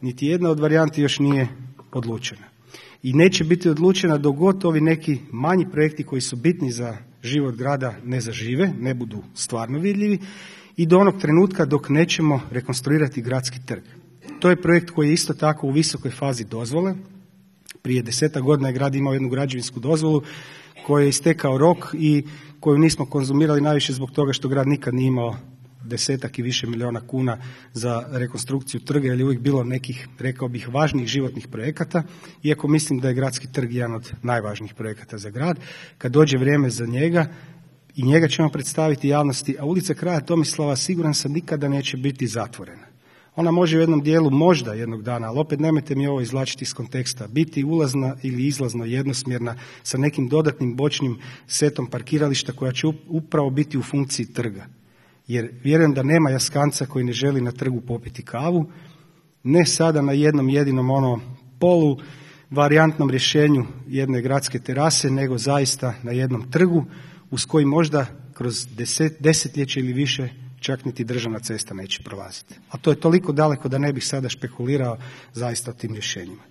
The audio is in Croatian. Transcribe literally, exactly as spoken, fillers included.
niti jedna od varijanti još nije odlučena. I neće biti odlučena dok god ovi neki manji projekti koji su bitni za život grada ne zažive, ne budu stvarno vidljivi i do onog trenutka dok nećemo rekonstruirati gradski trg. To je projekt koji je isto tako u visokoj fazi dozvole. Prije desetak godina je grad imao jednu građevinsku dozvolu koji je istekao rok i koju nismo konzumirali najviše zbog toga što grad nikad nije imao desetak i više milijuna kuna za rekonstrukciju trga, jer je uvijek bilo nekih, rekao bih, važnih životnih projekata, iako mislim da je gradski trg jedan od najvažnijih projekata za grad. Kad dođe vrijeme za njega, i njega ćemo predstaviti javnosti, a ulica Kralja Tomislava siguran sam nikada neće biti zatvorena. Ona može u jednom dijelu možda jednog dana, ali opet nemojte mi ovo izvlačiti iz konteksta, biti ulazna ili izlazno jednosmjerna sa nekim dodatnim bočnim setom parkirališta koja će upravo biti u funkciji trga. Jer vjerujem da nema jaskanca koji ne želi na trgu popiti kavu, ne sada na jednom jedinom ono polu varijantnom rješenju jedne gradske terase, nego zaista na jednom trgu uz koji možda kroz deset, desetljeće ili više čak niti državna cesta neće prolaziti. A to je toliko daleko da ne bih sada špekulirao zaista o tim rješenjima.